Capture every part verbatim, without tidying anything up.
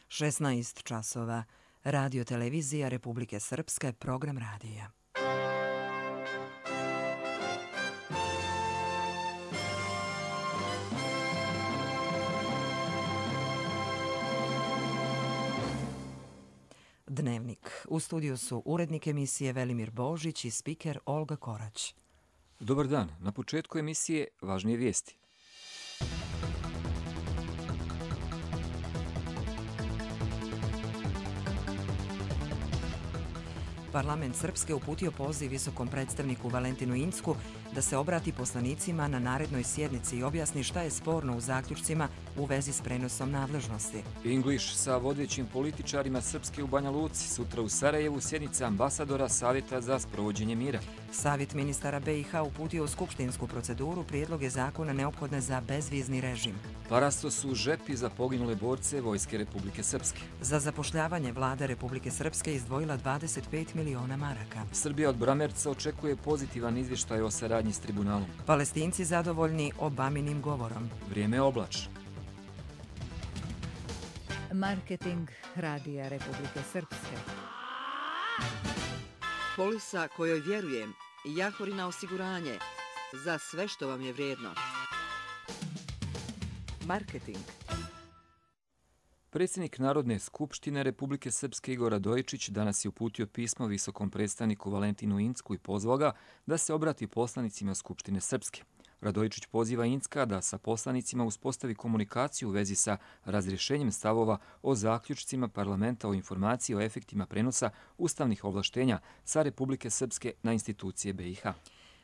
šesnaest časova. Radio televizija Republike Srpske, program radija. Dnevnik. U studiju su urednik emisije Velimir Božić i spiker Olga Korać. Dobar dan. Na početku emisije važnije vijesti. Parlament Srpske uputio poziv visokom predstavniku Valentinu Incku da se obrati poslanicima na narednoj sjednici i objasni šta je sporno u zaključcima u vezi s prenosom nadležnosti. English sa vodećim političarima Srpske u Banja Luci, sutra u Sarajevu sjednica ambasadora Savjeta za sprovođenje mira. Savjet ministara B i H uputio u skupštinsku proceduru prijedloge zakona neophodne za bezvizni režim. Parasto su žepi za poginule borce Vojske Republike Srpske. Za zapošljavanje vlada Republike Srpske izdvojila dvadeset pet miliona maraka. Srbija od Bramerca očekuje pozitivan izvještaj o saradnji s tribunalom. Palestinci zadovoljni Obaminim govorom. Vrijeme je oblačno. Marketing Radija Republike Srpske. Polisa kojoj vjerujem, Jahorina osiguranje, za sve što vam je vrijedno. Marketing. Predsjednik Narodne skupštine Republike Srpske Igor Radojičić danas je uputio pismo visokom predstavniku Valentinu Incku i pozvao ga da se obrati poslanicima Skupštine Srpske. Radojičić poziva Incka da sa poslanicima uspostavi komunikaciju u vezi sa razrješenjem stavova o zaključcima parlamenta o informaciji o efektima prenosa ustavnih ovlaštenja sa Republike Srpske na institucije B i H.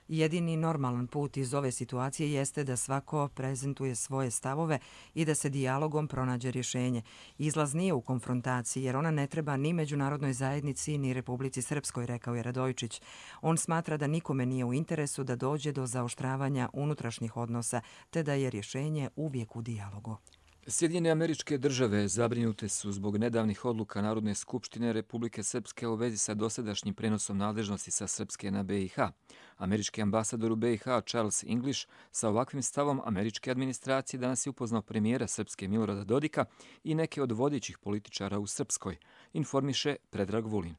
Jedini normalan put iz ove situacije jeste da svako prezentuje svoje stavove i da se dijalogom pronađe rješenje. Izlaz nije u konfrontaciji jer ona ne treba ni međunarodnoj zajednici ni Republici Srpskoj, rekao je Radojičić. On smatra da nikome nije u interesu da dođe do zaoštravanja unutrašnjih odnosa, te da je rješenje uvijek u dijalogu. Sjedinjene Američke Države zabrinute su zbog nedavnih odluka Narodne skupštine Republike Srpske u vezi sa dosadašnjim prenosom nadležnosti sa Srpske na B i H. Američki ambasador u B i H Charles English sa ovakvim stavom američke administracije danas je upoznao premijera Srpske Milorada Dodika i neke od vodećih političara u Srpskoj, informiše Predrag Vulin.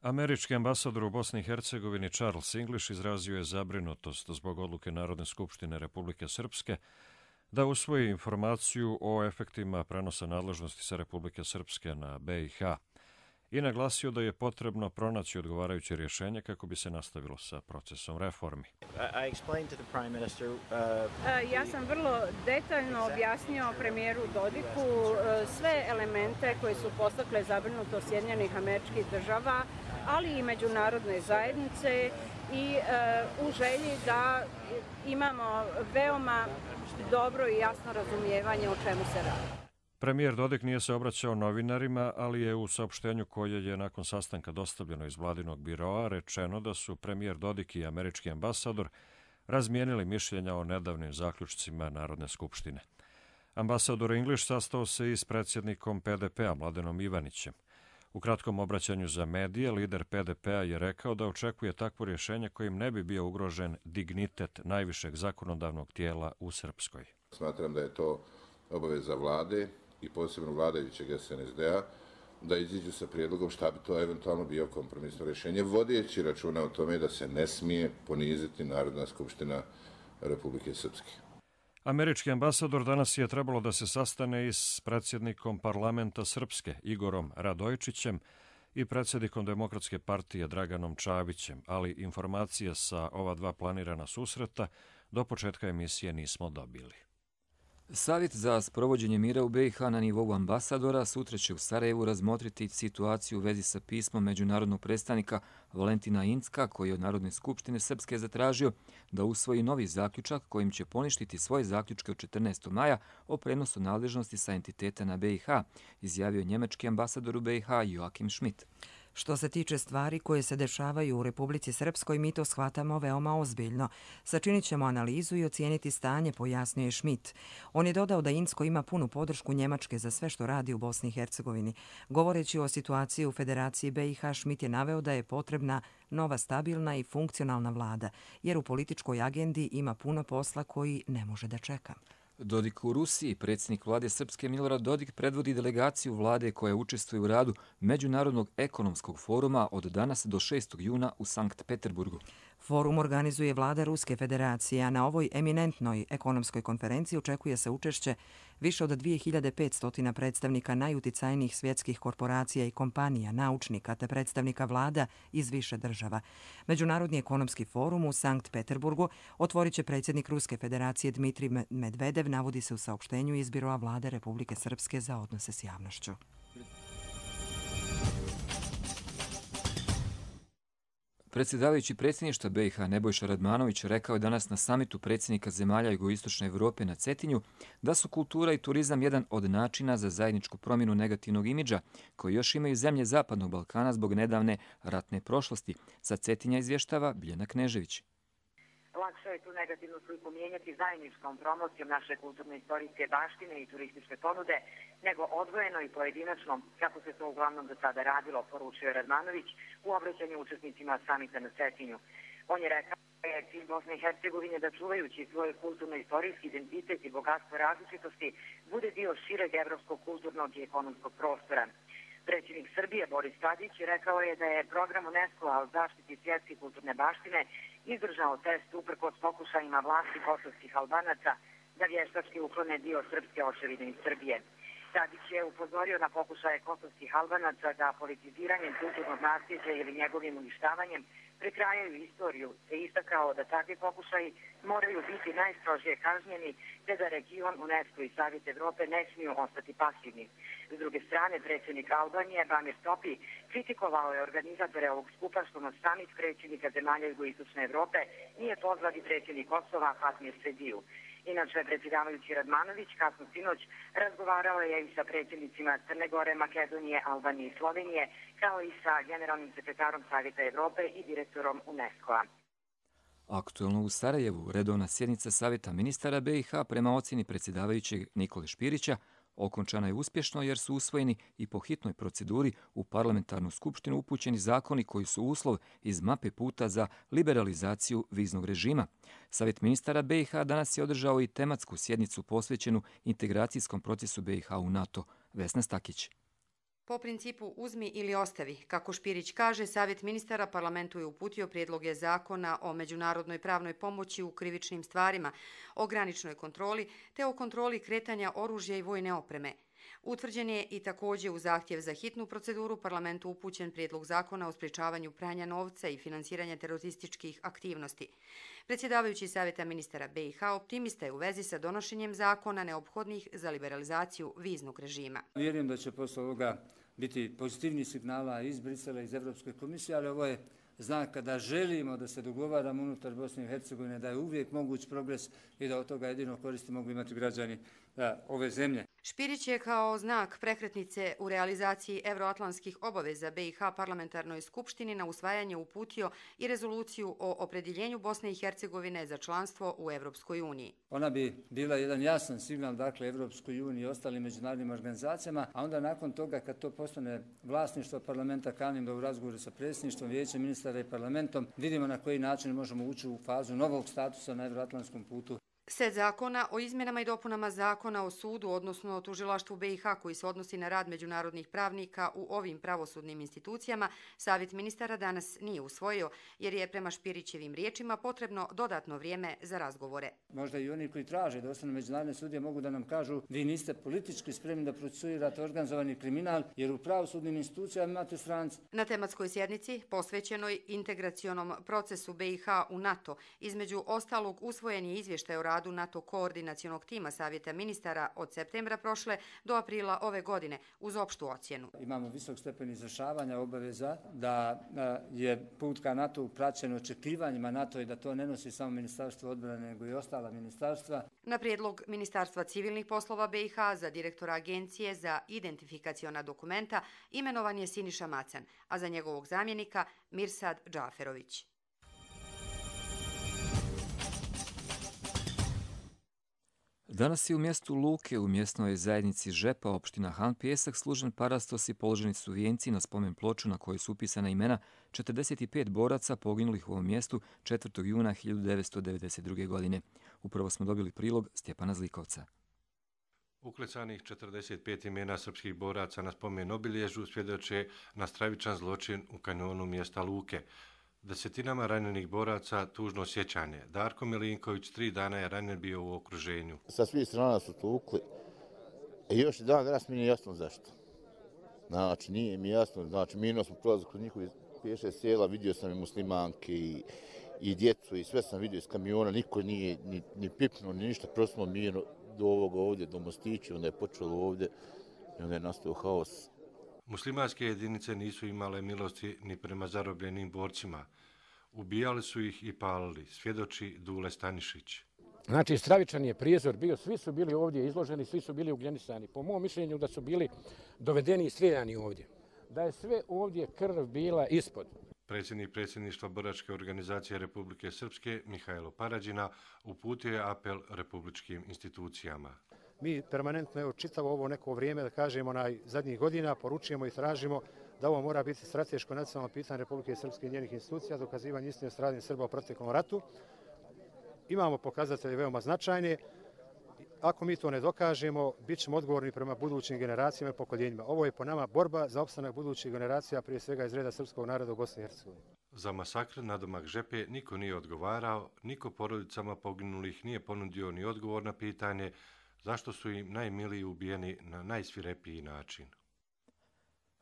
Američki ambasador u Bosni i Hercegovini Charles English izrazio je zabrinutost zbog odluke Narodne skupštine Republike Srpske da usvoji informaciju o efektima prenosa nadležnosti sa Republike Srpske na B i H i naglasio da je potrebno pronaći odgovarajuće rješenje kako bi se nastavilo sa procesom reformi. Ja sam vrlo detaljno objasnio premijeru Dodiku sve elemente koje su postakle zabrinutost Sjedinjenih Američkih Država, ali i međunarodne zajednice i u želji da imamo veoma dobro i jasno razumijevanje o čemu se radi. Premijer Dodik nije se obraćao novinarima, ali je u saopštenju koje je nakon sastanka dostavljeno iz vladinog biroa rečeno da su premijer Dodik i američki ambasador razmijenili mišljenja o nedavnim zaključcima Narodne skupštine. Ambasador English sastao se i s predsjednikom P D P-a Mladenom Ivanićem. U kratkom obraćanju za medije, lider P D P-a je rekao da očekuje takvo rješenje kojim ne bi bio ugrožen dignitet najvišeg zakonodavnog tijela u Srpskoj. Smatram da je to obaveza vlade i posebno vladajućeg S N S D-a da iziđu sa prijedlogom šta bi to eventualno bio kompromisno rješenje, vodeći računa o tome da se ne smije poniziti Narodna skupština Republike Srpske. Američki ambasador danas je trebalo da se sastane i s predsjednikom parlamenta Srpske Igorom Radojičićem i predsjednikom Demokratske partije Draganom Čavićem, ali informacije sa ova dva planirana susreta do početka emisije nismo dobili. Savjet za sprovođenje mira u B i H na nivou ambasadora sutra će u Sarajevu razmotriti situaciju u vezi sa pismom međunarodnog predstavnika Valentina Incka, koji je od Narodne skupštine Srpske zatražio da usvoji novi zaključak kojim će poništiti svoje zaključke od četrnaestog maja o prenosu nadležnosti sa entiteta na B i H, izjavio njemački ambasador u B i H Joachim Schmidt. Što se tiče stvari koje se dešavaju u Republici Srpskoj, mi to shvatamo veoma ozbiljno. Sačinit ćemo analizu i ocijeniti stanje, pojasnio je Schmidt. On je dodao da Incko ima punu podršku Njemačke za sve što radi u Bosni i Hercegovini. Govoreći o situaciji u Federaciji B i H, Schmidt je naveo da je potrebna nova stabilna i funkcionalna vlada, jer u političkoj agendi ima puno posla koji ne može da čeka. Dodik u Rusiji, predsjednik vlade Srpske Milorad Dodik predvodi delegaciju vlade koja učestvuje u radu Međunarodnog ekonomskog foruma od danas do šestog juna u Sankt Peterburgu. Forum organizuje vlada Ruske federacije, a na ovoj eminentnoj ekonomskoj konferenciji očekuje se učešće više od dvije hiljade petsto predstavnika najuticajnijih svjetskih korporacija i kompanija, naučnika te predstavnika vlada iz više država. Međunarodni ekonomski forum u Sankt Peterburgu otvorit će predsjednik Ruske federacije Dmitrij Medvedev, navodi se u saopštenju iz Biroa vlade Republike Srpske za odnose s javnošću. Predsjedavajući predsjedništva B i H Nebojša Radmanović rekao je danas na samitu predsjednika zemalja jugoistočne Evrope na Cetinju da su kultura i turizam jedan od načina za zajedničku promjenu negativnog imidža koji još imaju zemlje Zapadnog Balkana zbog nedavne ratne prošlosti. Sa Cetinja izvještava Biljana Knežević. Lakše je tu negativnu sliku mijenjati zajedničkom promocijom naše kulturno-istorijske baštine i turističke ponude, nego odvojeno i pojedinačno, kako se to uglavnom do sada radilo, poručio Radmanović u obraćanju učesnicima samita na Cetinju. On je rekao da je cilj Bosne i Hercegovine da čuvajući svoj kulturno-istorijski identitet i bogatstvo različitosti bude dio šireg evropskog kulturnog i ekonomskog prostora. Predsjednik Srbije Boris Tadić rekao je da je program UNESCO-a o zaštiti svjetske kulturne baštine izdržao test uprkos pokušajima vlasti kosovskih Albanaca da vještački uklone dio srpske očevine iz Srbije. Tadić je upozorio na pokušaje kosovskih Albanaca da politiziranjem kulturnog nasljeđa ili njegovim uništavanjem prekrajaju istoriju, te istakao da takvi pokušaji moraju biti najstrožije kažnjeni, te da region UNESCO i Savjet Evrope ne smiju ostati pasivni. S druge strane, predsjednik Albanije Bamir Topi kritikovao je organizatore ovog skupa što na samit predsjednika zemalja jugoistočne Evrope nije pozvati predsjednik Kosova Fatmir Sediju. Inače, predsjedavajući Radmanović kasno sinoć razgovarao je i sa predsjednicima Crne Gore, Makedonije, Albanije i Slovenije, kao i sa generalnim sekretarom Savjeta Evrope i direktorom UNESCO-a. Aktuelno u Sarajevu, redovna sjednica Savjeta ministara B i H prema ocjeni predsjedavajućeg Nikole Špirića okončana je uspješno jer su usvojeni i po hitnoj proceduri u parlamentarnu skupštinu upućeni zakoni koji su uslov iz mape puta za liberalizaciju viznog režima. Savjet ministara B i H danas je održao i tematsku sjednicu posvećenu integracijskom procesu B i H u NATO. Vesna Stakić. Po principu uzmi ili ostavi, kako Špirić kaže, Savjet ministara parlamentu je uputio prijedloge zakona o međunarodnoj pravnoj pomoći u krivičnim stvarima, o graničnoj kontroli te o kontroli kretanja oružja i vojne opreme. Utvrđen je i također u zahtjev za hitnu proceduru parlamentu upućen prijedlog zakona o sprječavanju pranja novca i finansiranja terorističkih aktivnosti. Predsjedavajući Savjeta ministara B i H optimista je u vezi sa donošenjem zakona neophodnih za liberalizaciju viznog režima. Vjerujem da će posle ovoga biti pozitivnih signala iz Brisela, iz Evropske komisije, ali ovo je znak kada želimo da se dogovaramo unutar Bosne i Hercegovine, da je uvijek moguć progres i da od toga jedino koristi mogu imati građani ove zemlje. Špirić je kao znak prekretnice u realizaciji evroatlantskih obaveza B i H parlamentarnoj skupštini na usvajanje uputio i rezoluciju o opredjeljenju Bosne i Hercegovine za članstvo u Evropskoj uniji. Ona bi bila jedan jasan signal, dakle, Evropskoj uniji i ostalim međunarodnim organizacijama, a onda nakon toga kad to postane vlasništvo parlamenta, kanim da u razgovoru sa predsjedništvom, vijećem ministara i parlamentom vidimo na koji način možemo ući u fazu novog statusa na evroatlantskom putu. Set zakona o izmjenama i dopunama zakona o sudu, odnosno o tužilaštvu B i H koji se odnosi na rad međunarodnih pravnika u ovim pravosudnim institucijama, Savjet ministara danas nije usvojio, jer je prema Špirićevim riječima potrebno dodatno vrijeme za razgovore. Možda i oni koji traže da ostane međunarodne sudije mogu da nam kažu vi niste politički spremni da procesuirate organizovani kriminal, jer u pravosudnim institucijama imate strance. Na tematskoj sjednici, posvećenoj integracionom procesu B i H u NATO, između ostalog usvojen je izvještaj o radu NATO koordinacionog tima Savjeta ministara od septembra prošle do aprila ove godine uz opštu ocjenu. Imamo visok stepen izvršavanja obaveza da je put ka NATO praćen očekivanjima NATO i da to ne nosi samo Ministarstvo odbrane nego i ostala ministarstva. Na prijedlog Ministarstva civilnih poslova B i H za direktora Agencije za identifikaciona dokumenta imenovan je Siniša Macan, a za njegovog zamjenika Mirsad Džaferović. Danas je u mjestu Luke u mjesnoj zajednici Žepa, opština Han Pjesak, služen parastos i položeni su vijenci na spomen ploču na kojoj su upisana imena četrdeset pet boraca poginulih u ovom mjestu četvrtog juna hiljadu devetsto devedeset druge. godine. Upravo smo dobili prilog Stjepana Zlikovca. Uklecanih četrdeset pet imena srpskih boraca na spomen obilježju svjedoče na stravičan zločin u kanjonu mjesta Luke. Desetinama ranjenih boraca tužno sjećanje. Darko Milinković tri dana je ranjen bio u okruženju. Sa svih strana su tukli i još i dan danas mi nije jasno zašto. Znači, nije mi jasno, znači, mirno smo prolazili kod njihovi pješe sjela, vidio sam i muslimanke i, i djecu i sve sam vidio iz kamiona, niko nije ni, ni pipnuo, ni ništa, prosto smo mirno do ovoga ovdje, do Mostića, onda je počelo ovdje i onda je nastao haos. Muslimanske jedinice nisu imale milosti ni prema zarobljenim borcima. Ubijali su ih i palili, svjedoči Dule Stanišić. Znači, stravičan je prizor bio, svi su bili ovdje izloženi, svi su bili ugljenisani. Po mom mišljenju da su bili dovedeni i strijeljani ovdje. Da je sve ovdje krv bila ispod. Predsjednik predsjedništva Boračke organizacije Republike Srpske, Mihajlo Parađina, uputio je apel republičkim institucijama. Mi permanentno, evo, čitavo ovo neko vrijeme, da kažemo, na zadnjih godina, poručujemo i tražimo da ovo mora biti strateško nacionalno pitanje Republike Srpske i njenih institucija, dokazivanje istine stradanja Srba u proteklom ratu. Imamo pokazatelje veoma značajne. Ako mi to ne dokažemo, bit ćemo odgovorni prema budućim generacijama i pokoljenjima. Ovo je po nama borba za opstanak budućih generacija, prije svega iz reda srpskog naroda u Bosni i Hercegovini. Za masakr na domak Žepe niko nije odgovarao, niko porodicama poginulih nije ponudio ni odgovor na pitanje zašto su im najmiliji ubijeni na najsvirepiji način.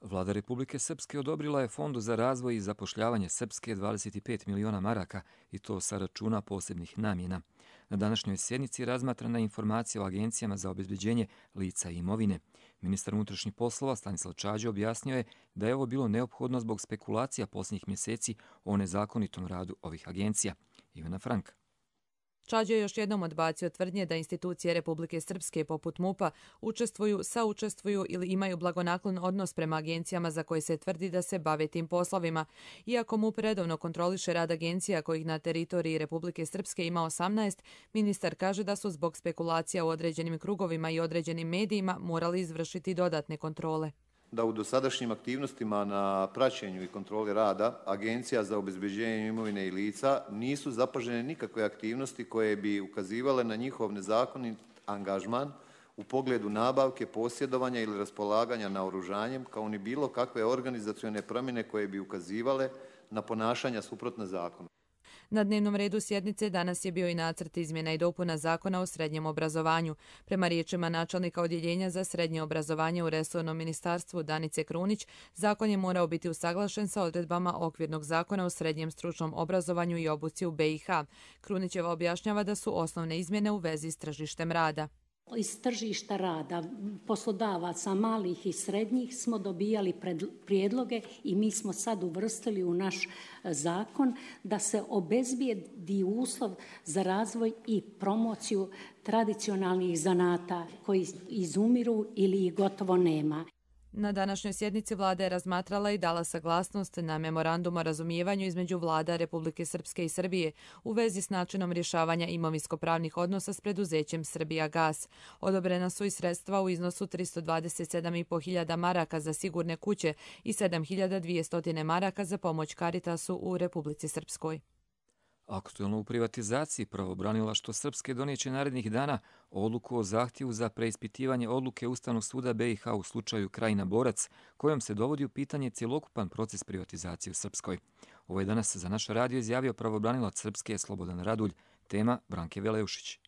Vlada Republike Srpske odobrila je Fondu za razvoj i zapošljavanje Srpske dvadeset pet miliona maraka i to sa računa posebnih namjena. Na današnjoj sjednici razmatrana je informacija o agencijama za obezbeđenje lica i imovine. Ministar unutrašnjih poslova Stanislav Čađe objasnio je da je ovo bilo neophodno zbog spekulacija posljednjih mjeseci o nezakonitom radu ovih agencija. Ivana Frank. Čađe je još jednom odbacio tvrdnje da institucije Republike Srpske poput MUP-a učestvuju, saučestvuju ili imaju blagonaklon odnos prema agencijama za koje se tvrdi da se bave tim poslovima. Iako MUP redovno kontroliše rad agencija kojih na teritoriji Republike Srpske ima osamnaest, ministar kaže da su zbog spekulacija u određenim krugovima i određenim medijima morali izvršiti dodatne kontrole. Da u dosadašnjim aktivnostima na praćenju i kontroli rada Agencija za obezbeđenje imovine i lica nisu zapažene nikakve aktivnosti koje bi ukazivale na njihov nezakonit angažman u pogledu nabavke, posjedovanja ili raspolaganja naoružanjem, kao ni bilo kakve organizacione promjene koje bi ukazivale na ponašanja suprotna zakonu. Na dnevnom redu sjednice danas je bio i nacrt izmjena i dopuna zakona o srednjem obrazovanju. Prema riječima načelnika odjeljenja za srednje obrazovanje u resornom ministarstvu Danice Krunić, zakon je morao biti usaglašen sa odredbama okvirnog zakona o srednjem stručnom obrazovanju i obuci u be i ha. Krunićeva objašnjava da su osnovne izmjene u vezi s tržištem rada. Iz tržišta rada, poslodavaca malih i srednjih smo dobijali prijedloge i mi smo sad uvrstili u naš zakon da se obezbijedi uslov za razvoj i promociju tradicionalnih zanata koji izumiru ili ih gotovo nema. Na današnjoj sjednici vlada je razmatrala i dala saglasnost na memorandum o razumijevanju između vlada Republike Srpske i Srbije u vezi s načinom rješavanja imovinsko-pravnih odnosa s preduzećem Srbijagas. Odobrena su i sredstva u iznosu tristo dvadeset sedam i po hiljada maraka za sigurne kuće i sedam hiljada dvjesto maraka za pomoć Caritasu u Republici Srpskoj. Aktuelno u privatizaciji pravobranilaštvo Srpske donijeće narednih dana odluku o zahtjevu za preispitivanje odluke Ustavnog suda be i ha u slučaju Krajina Borac, kojom se dovodi u pitanje cjelokupan proces privatizacije u Srpskoj. Ovo je danas za naš radio izjavio pravobranilac Srpske Slobodan Radulj, tema Branke Veleušić.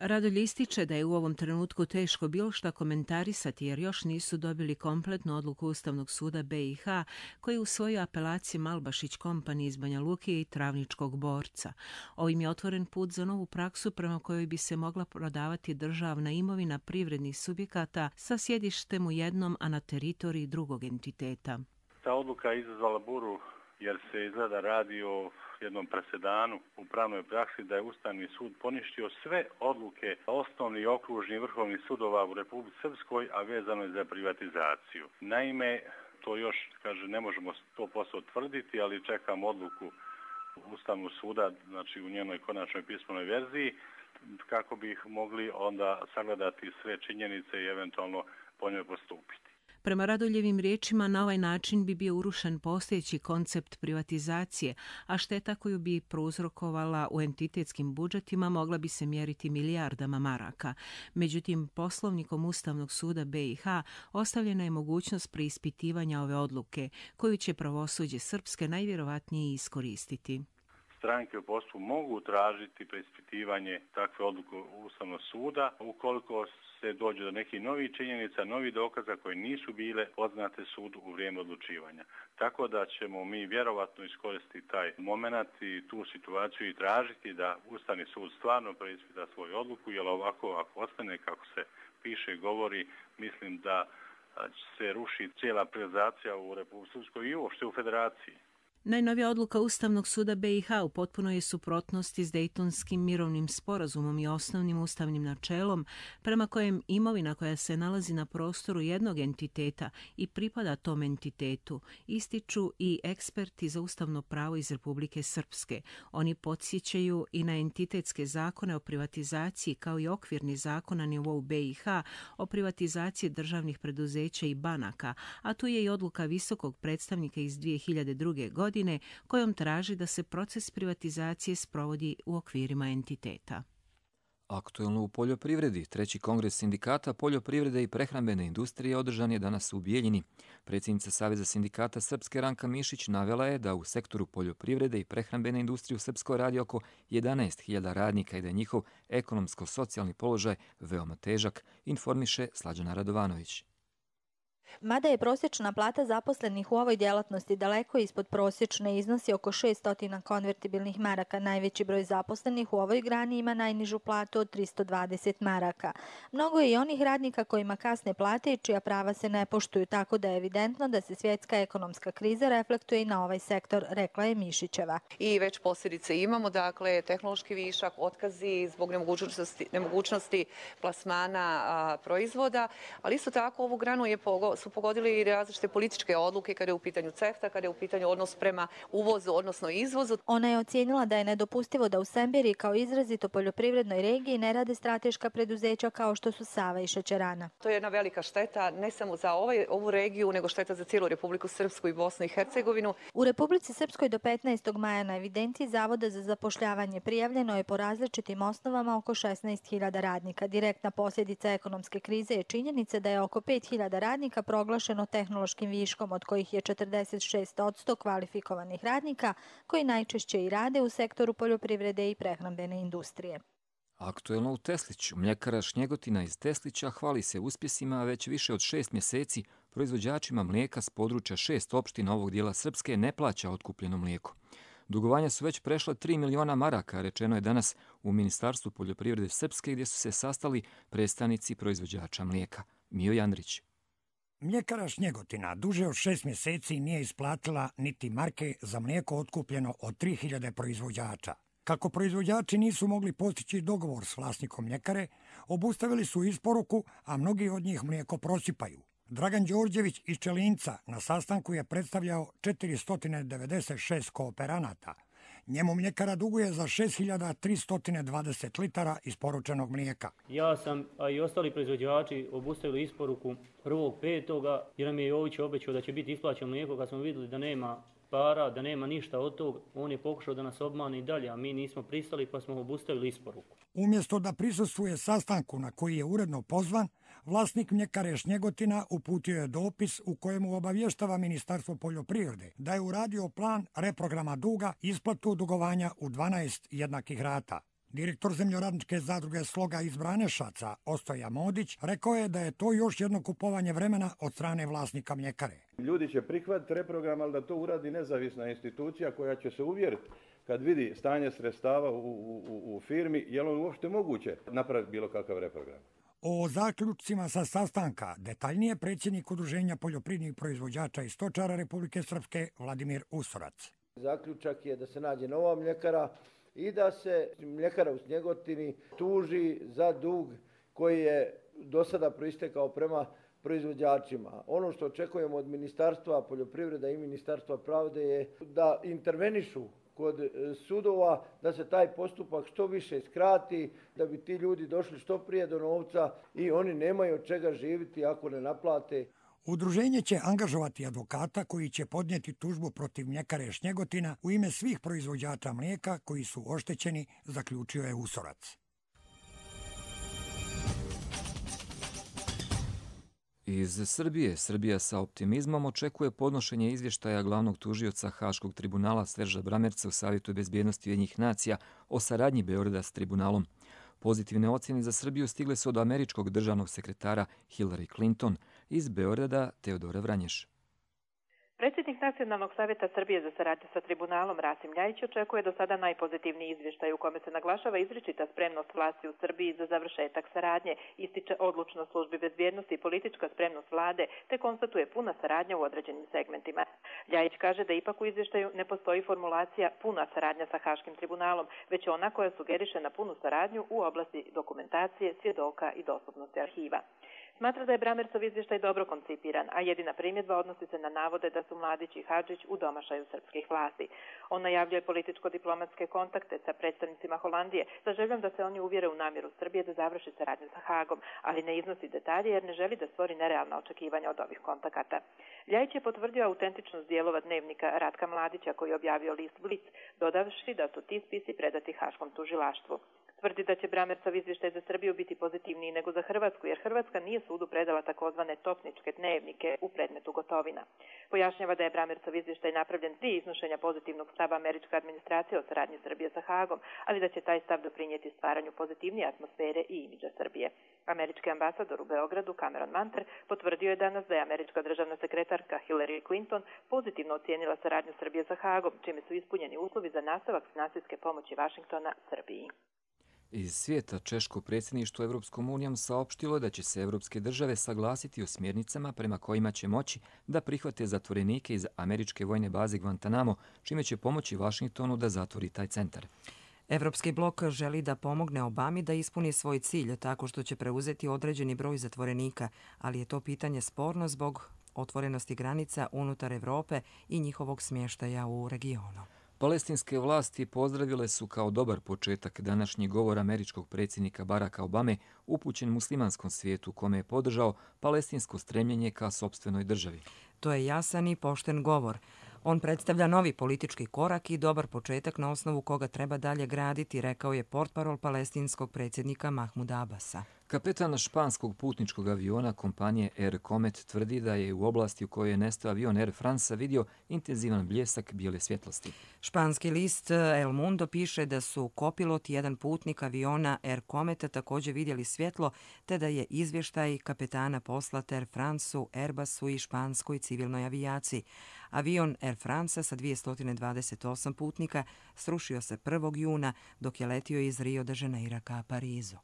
Radulj ističe da je u ovom trenutku teško bilo šta komentarisati jer još nisu dobili kompletnu odluku Ustavnog suda be i ha koji je usvojio apelaciju Malbašić Company iz Banja Luke i Travničkog Borca. Ovim je otvoren put za novu praksu prema kojoj bi se mogla prodavati državna imovina privrednih subjekata sa sjedištem u jednom, a na teritoriji drugog entiteta. Ta odluka je izazvala buru jer se izgleda radi o jednom presedanu u pravnoj praksi da je Ustavni sud poništio sve odluke osnovnih i okružnih vrhovnih sudova u Republici Srpskoj, a vezano je za privatizaciju. Naime, to još, kaže, ne možemo sto posto tvrditi, ali čekam odluku Ustavnog suda, znači u njenoj konačnoj pismenoj verziji, kako bi mogli onda sagledati sve činjenice i eventualno po njoj postupiti. Prema Radoljevim riječima, na ovaj način bi bio urušen postojeći koncept privatizacije, a šteta koju bi prouzrokovala u entitetskim budžetima mogla bi se mjeriti milijardama maraka. Međutim, poslovnikom Ustavnog suda B i H ostavljena je mogućnost preispitivanja ove odluke, koju će pravosuđe Srpske najvjerovatnije iskoristiti. Stranke u postupku mogu tražiti preispitivanje takve odluke Ustavnog suda ukoliko se dođe do nekih novih činjenica, novih dokaza koje nisu bile poznate sudu u vrijeme odlučivanja. Tako da ćemo mi vjerovatno iskoristiti taj moment i tu situaciju i tražiti da Ustavni sud stvarno preispita svoju odluku, jer ovako ako ostane kako se piše i govori, mislim da se ruši cijela privatizacija u Republici Srpskoj i uopšte u Federaciji. Najnovija odluka Ustavnog suda B i H u potpunoj je suprotnosti s Dejtonskim mirovnim sporazumom i osnovnim ustavnim načelom prema kojem imovina koja se nalazi na prostoru jednog entiteta i pripada tom entitetu ističu i eksperti za ustavno pravo iz Republike Srpske. Oni podsjećaju i na entitetske zakone o privatizaciji kao i okvirni zakon na nivou B i H o privatizaciji državnih preduzeća i banaka, a tu je i odluka visokog predstavnika iz dvije hiljade druge. godine kojom traži da se proces privatizacije sprovodi u okvirima entiteta. Aktuelno u poljoprivredi. Treći kongres sindikata poljoprivrede i prehrambene industrije održan je danas u Bijeljini. Predsjednica Saveza sindikata Srpske Ranka Mišić navela je da u sektoru poljoprivrede i prehrambene industrije u Srpskoj radi oko jedanaest hiljada radnika i da je njihov ekonomsko-socijalni položaj veoma težak, informiše Slađana Radovanović. Mada je prosječna plata zaposlenih u ovoj djelatnosti daleko ispod prosječne, iznosi oko šesto konvertibilnih maraka. Najveći broj zaposlenih u ovoj grani ima najnižu platu od tristo dvadeset maraka. Mnogo je i onih radnika kojima kasne plate i čija prava se ne poštuju, tako da je evidentno da se svjetska ekonomska kriza reflektuje i na ovaj sektor, rekla je Mišićeva. I već posljedice imamo, dakle, tehnološki višak, otkazi zbog nemogućnosti, nemogućnosti plasmana a, proizvoda, ali isto tako ovu granu je pogo su pogodili i različite političke odluke kada je u pitanju CEFTA, kada je u pitanju odnos prema uvozu, odnosno izvozu. Ona je ocijenila da je nedopustivo da u Semberiji kao izrazito poljoprivrednoj regiji ne rade strateška preduzeća kao što su Sava i šećerana. To je jedna velika šteta ne samo za ovaj, ovu regiju, nego šteta za cijelu Republiku Srpsku i Bosnu i Hercegovinu. U Republici Srpskoj do petnaestog maja na evidenciji Zavoda za zapošljavanje prijavljeno je po različitim osnovama oko šesnaest hiljada radnika. Direktna posljedica ekonomske krize je činjenica da je oko pet hiljada radnika proglašeno tehnološkim viškom, od kojih je četrdeset šest posto kvalifikovanih radnika koji najčešće i rade u sektoru poljoprivrede i prehrambene industrije. Aktuelno u Tesliću. Mljekara Šnjegotina iz Teslića hvali se uspjesima, a već više od šest mjeseci proizvođačima mlijeka s područja šest opština ovog dijela Srpske ne plaća otkupljeno mlijeko. Dugovanja su već prešla tri miliona maraka, rečeno je danas u Ministarstvu poljoprivrede Srpske, gdje su se sastali predstavnici proizvođača mlijeka. Mio Jandrić. Mljekara Šnjegotina duže od šest mjeseci nije isplatila niti marke za mlijeko otkupljeno od tri hiljade proizvođača. Kako proizvođači nisu mogli postići dogovor s vlasnikom mljekare, obustavili su isporuku, a mnogi od njih mlijeko prosipaju. Dragan Đorđević iz Čelinca na sastanku je predstavljao četiristo devedeset šest kooperanata. Njemu mljekara duguje za šest hiljada tristo dvadeset litara isporučenog mlijeka. Ja sam, a i ostali proizvođači, obustavili isporuku prvog petoga jer nam je Jović obećao da će biti isplaćeno mlijeko. Kad smo vidjeli da nema para, da nema ništa od tog, on je pokušao da nas obmane i dalje, a mi nismo pristali pa smo obustavili isporuku. Umjesto da prisustvuje sastanku na koji je uredno pozvan, vlasnik mljekare Šnjegotina uputio je dopis u kojemu obavještava Ministarstvo poljoprivrede da je uradio plan reprograma duga, isplatu dugovanja u dvanaest jednakih rata. Direktor zemljoradničke zadruge Sloga iz Branešaca, Ostoja Modić, rekao je da je to još jedno kupovanje vremena od strane vlasnika mljekare. Ljudi će prihvatiti reprogram, ali da to uradi nezavisna institucija koja će se uvjeriti kad vidi stanje sredstava u, u, u firmi, je li on uopšte moguće napraviti bilo kakav reprogram. O zaključcima sa sastanka detaljnije predsjednik Udruženja poljoprivrednih proizvođača i stočara Republike Srpske Vladimir Usorac. Zaključak je da se nađe nova mljekara i da se mljekara u Snjegotini tuži za dug koji je do sada proistekao prema proizvođačima. Ono što očekujemo od Ministarstva poljoprivrede i Ministarstva pravde je da intervenišu kod sudova, da se taj postupak što više skrati, da bi ti ljudi došli što prije do novca i oni nemaju od čega živjeti ako ne naplate. Udruženje će angažovati advokata koji će podnijeti tužbu protiv mljekare Šnjegotina u ime svih proizvođača mlijeka koji su oštećeni, zaključio je Usorac. Iz Srbije, Srbija sa optimizmom očekuje podnošenje izvještaja glavnog tužioca Haškog tribunala Serža Bramerca u Savjetu bezbjednosti Ujedinjenih nacija o saradnji Beograda s tribunalom. Pozitivne ocjene za Srbiju stigle su od američkog državnog sekretara Hillary Clinton, iz Beograda Teodora Vranješ. Predsjednik Nacionalnog savjeta Srbije za saradnju sa tribunalom Rasim Ljajić očekuje do sada najpozitivniji izvještaj u kome se naglašava izričita spremnost vlasti u Srbiji za završetak saradnje, ističe odlučnost službi bezbjednosti i politička spremnost vlade, te konstatuje puna saradnja u određenim segmentima. Ljajić kaže da ipak u izvještaju ne postoji formulacija puna saradnja sa Haškim tribunalom, već ona koja sugeriše na punu saradnju u oblasti dokumentacije, svjedoka i dostupnosti arhiva. Smatra da je Bramercov izvještaj dobro koncipiran, a jedina primjedba odnosi se na navode da su Mladić i Hadžić u domašaju srpskih vlasti. On najavljuje političko-diplomatske kontakte sa predstavnicima Holandije sa željom da se oni uvjere u namjeru Srbije da završi saradnju sa Hagom, ali ne iznosi detalje jer ne želi da stvori nerealna očekivanja od ovih kontakata. Ljajić je potvrdio autentičnost dijelova dnevnika Ratka Mladića koji je objavio list Blic, dodavši da su ti spisi predati Haškom tužilaštvu. Tvrdi da će Bramercov izvještaj za Srbiju biti pozitivniji nego za Hrvatsku, jer Hrvatska nije sudu predala takozvane topničke dnevnike u predmetu Gotovina. Pojašnjava da je Bramercov izvještaj napravljen prije iznošenja pozitivnog stava američke administracije o saradnji Srbije sa Hagom, ali da će taj stav doprinijeti stvaranju pozitivnije atmosfere i imidža Srbije. Američki ambasador u Beogradu Cameron Manter potvrdio je danas da je američka državna sekretarka Hillary Clinton pozitivno ocijenila saradnju Srbije sa Hagom, čime su ispunjeni uslovi za nastavak finansijske pomoći Vašingtona Srbiji. Iz svijeta, češko predsjedništvo Evropskom unijom saopštilo je da će se evropske države saglasiti o smjernicama prema kojima će moći da prihvate zatvorenike iz američke vojne baze Guantanamo, čime će pomoći Vašingtonu da zatvori taj centar. Evropski blok želi da pomogne Obami da ispuni svoj cilj tako što će preuzeti određeni broj zatvorenika, ali je to pitanje sporno zbog otvorenosti granica unutar Evrope i njihovog smještaja u regionu. Palestinske vlasti pozdravile su kao dobar početak današnji govor američkog predsjednika Baracka Obame upućen muslimanskom svijetu u kome je podržao palestinsko stremljenje ka sopstvenoj državi. To je jasan i pošten govor. On predstavlja novi politički korak i dobar početak na osnovu koga treba dalje graditi, rekao je portparol palestinskog predsjednika Mahmuda Abasa. Kapetan španskog putničkog aviona kompanije Air Comet tvrdi da je u oblasti u kojoj je nestao avion Air France vidio intenzivan bljesak bijele svjetlosti. Španski list El Mundo piše da su kopilot i jedan putnik aviona Air Cometa također vidjeli svjetlo, te da je izvještaj kapetana poslat Air France-u, Airbusu i španskoj civilnoj avijaciji. Avion Air France sa dvjesto dvadeset osam putnika srušio se prvog juna dok je letio iz Rio de Janeira ka Parizu.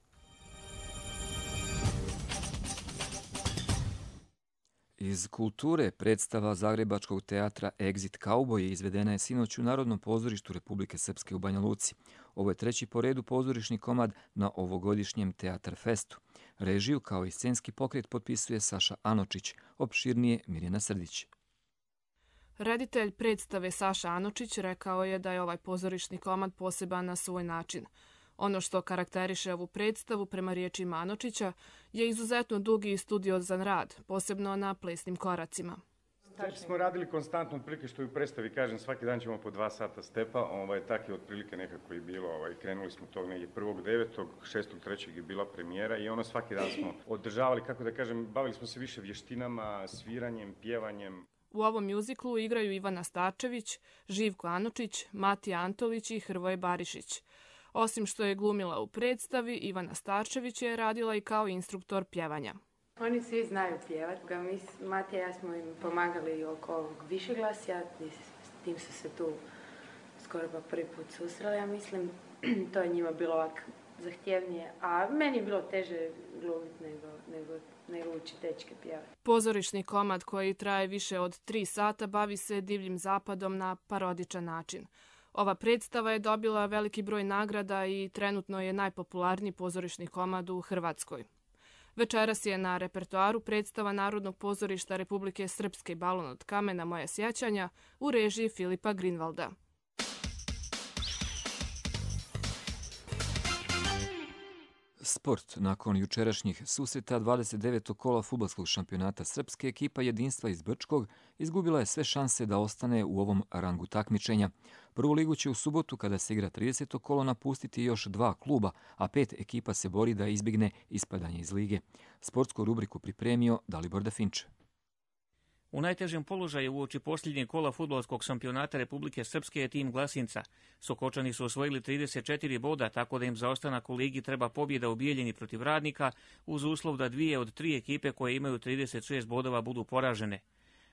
Iz kulture predstava Zagrebačkog teatra Exit Cowboy izvedena je sinoć u Narodnom pozorištu Republike Srpske u Banja Luci. Ovo je treći po redu pozorišni komad na ovogodišnjem Teatar Festu. Režiju kao i scenski pokret potpisuje Saša Anočić, opširnije Mirjana Srdić. Reditelj predstave Saša Anočić rekao je da je ovaj pozorišni komad poseban na svoj način. Ono što karakteriše ovu predstavu, prema riječima Anočića, je izuzetno dugi i studiozan rad, posebno na plesnim koracima. Smo radili konstantno, otprilike što i u predstavi, kažem, svaki dan ćemo po dva sata stepa, ovaj, tak je otprilike nekako i bilo, ovaj, krenuli smo tog negdje prvog devetog, šestog trećeg je bila premijera i ono svaki dan smo održavali, kako da kažem, bavili smo se više vještinama, sviranjem, pjevanjem. U ovom mjuziklu igraju Ivana Starčević, Živko Anočić, Matija Antolić i Hrvoje Barišić. Osim što je glumila u predstavi, Ivana Starčević je radila i kao instruktor pjevanja. Oni svi znaju pjevati. Matija i ja smo im pomagali oko ovog višeglasja, s tim su se tu skoro pa prvi put susreli, ja mislim. To je njima bilo ovako zahtjevnije, a meni je bilo teže glumiti nego, nego, nego učiti dečke pjevati. Pozorišni komad koji traje više od tri sata bavi se divljim zapadom na parodičan način. Ova predstava je dobila veliki broj nagrada i trenutno je najpopularniji pozorišni komad u Hrvatskoj. Večeras je na repertoaru predstava Narodnog pozorišta Republike Srpske Balon od kamena moja sjećanja u režiji Filipa Grinvalda. Sport. Nakon jučerašnjih susreta dvadeset devetog kola fudbalskog šampionata Srpske, ekipa Jedinstva iz Brčkog izgubila je sve šanse da ostane u ovom rangu takmičenja. Prvu ligu će u subotu, kada se igra trideseto kolo, napustiti još dva kluba, a pet ekipa se bori da izbjegne ispadanje iz lige. Sportsku rubriku pripremio Dalibor Dafinče. U najtežem položaju uoči posljednjeg kola fudbalskog šampionata Republike Srpske je tim Glasinca. Sokočani su osvojili trideset četiri boda, tako da im za ostanak u ligi treba pobjeda u Bijeljini protiv Radnika, uz uslov da dvije od tri ekipe koje imaju trideset šest bodova budu poražene.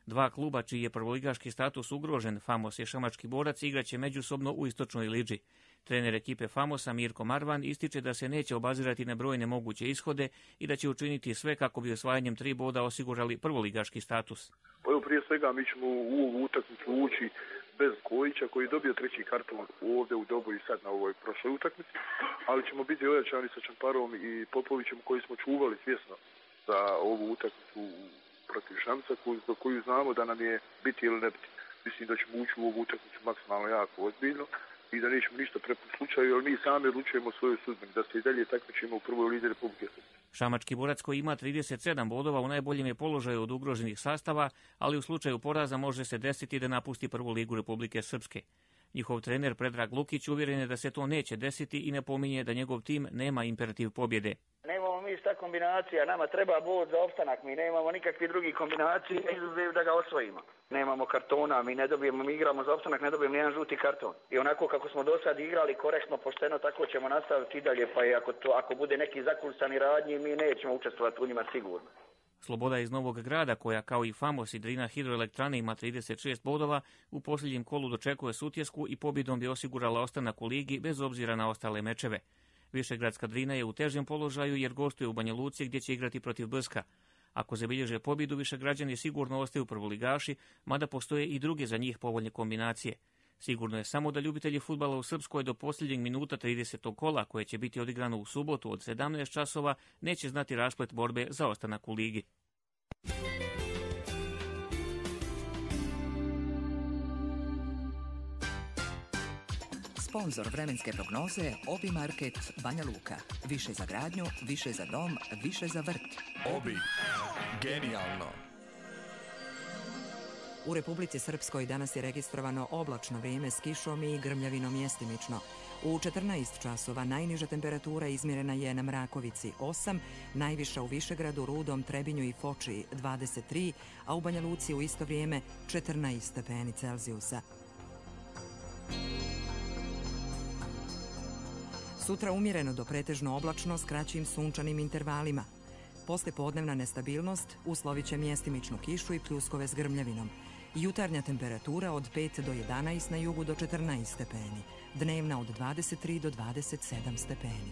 Dva kluba čiji je prvoligaški status ugrožen, Famos i Šamački borac, igraće međusobno u istočnoj liđi. Trener ekipe Famosa Mirko Marvan ističe da se neće obazirati na brojne moguće ishode i da će učiniti sve kako bi osvajanjem tri boda osigurali prvoligaški status. Pa evo, prije svega mi ćemo u ovu utakmicu ući bez Kojića koji je dobio treći karton ovdje u Doboju sad na ovoj prošloj utakmici, ali ćemo biti ojačani sa Čamparom i Popovićem koji smo čuvali svjesno za ovu utakmicu protiv Šamca, za koju znamo da nam je biti ili ne biti. Mislim da ćemo ući u ovu utakmicu maksimalno jako ozbiljno i da nećemo ništa prepustiti slučaju, jer mi sami odlučujemo svoju sudbinu, da se i dalje takmičimo u prvoj ligi Republike Srpske. Šamački borac koji ima trideset sedam bodova u najboljem je položaju od ugroženih sastava, ali u slučaju poraza može se desiti da napusti prvu ligu Republike Srpske. Njihov trener Predrag Lukić uvjeren je da se to neće desiti i napominje da njegov tim nema imperativ pobjede. Nemamo mi šta kombinacija, nama treba bod za opstanak, mi nemamo nikakvih drugih kombinacija izuzev da ga osvojimo. Nemamo kartona, mi ne dobijemo, mi igramo za opstanak, ne dobijemo nijedan žuti karton. I onako kako smo do sad igrali korektno, pošteno, tako ćemo nastaviti i dalje, pa i ako, to, ako bude neki zakulisani radnji, mi nećemo učestvovati u njima sigurno. Sloboda iz Novog Grada, koja kao i Famos i Drina hidroelektrane ima trideset šest bodova, u posljednjem kolu dočekuje Sutjesku i pobjedom bi osigurala ostanak u ligi bez obzira na ostale mečeve. Višegradska Drina je u težem položaju jer gostuje u Banja Luci gdje će igrati protiv Brska. Ako zabilježe pobjedu, Višegrađani sigurno ostaju prvoligaši, mada postoje i druge za njih povoljne kombinacije. Sigurno je samo da ljubitelji fudbala u Srpskoj do posljednjeg minuta tridesetog kola, koje će biti odigrano u subotu od sedamnaest časova, neće znati rasplet borbe za ostanak u ligi. Sponzor vremenske prognoze Obi Market Banja Luka. Više za gradnju, više za dom, više za vrt. Obi. Genijalno. U Republici Srpskoj danas je registrovano oblačno vrijeme s kišom i grmljavinom mjestimično. U četrnaest časova najniža temperatura izmjerena je na Mrakovici osam, najviša u Višegradu, Rudom, Trebinju i Foči dvadeset tri, a u Banja Luci u isto vrijeme četrnaest stepeni Celzijusa. Sutra umjereno do pretežno oblačno s kraćim sunčanim intervalima. Poslijepodnevna nestabilnost uslovit će mjestimičnu kišu i pljuskove s grmljavinom. Jutarnja temperatura od pet do jedanaest, na jugu do četrnaest stepeni. Dnevna od dvadeset tri do dvadeset sedam stepeni.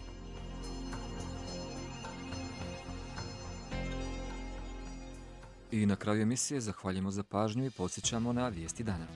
I na kraju emisije zahvaljujemo za pažnju i podsjećamo na vijesti dana.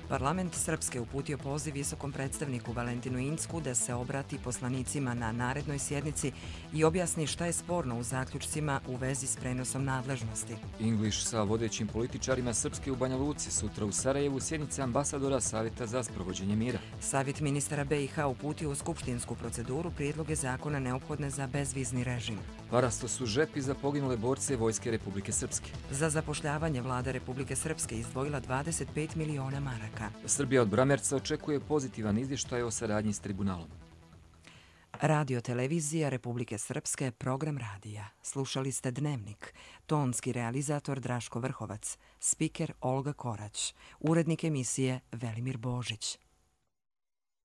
Parlament Srpske uputio poziv visokom predstavniku Valentinu Incku da se obrati poslanicima na narednoj sjednici i objasni šta je sporno u zaključcima u vezi s prenosom nadležnosti. English sa vodećim političarima Srpske u Banja Luci, sutra u Sarajevu sjednice ambasadora Savjeta za sprovođenje mira. Savjet ministara B i H uputio u skupštinsku proceduru prijedloge zakona neophodne za bezvizni režim. Parasto su žepi za poginule borce Vojske Republike Srpske. Za zapošljavanje vlada Republike Srpske izdvojila dvadeset pet miliona maraka. Srbija od Bramerca očekuje pozitivan izvještaj o saradnji s tribunalom. Radio televizija Republike Srpske, program radija. Slušali ste Dnevnik. Tonski realizator Draško Vrhovac. Spiker Olga Korać. Urednik emisije Velimir Božić.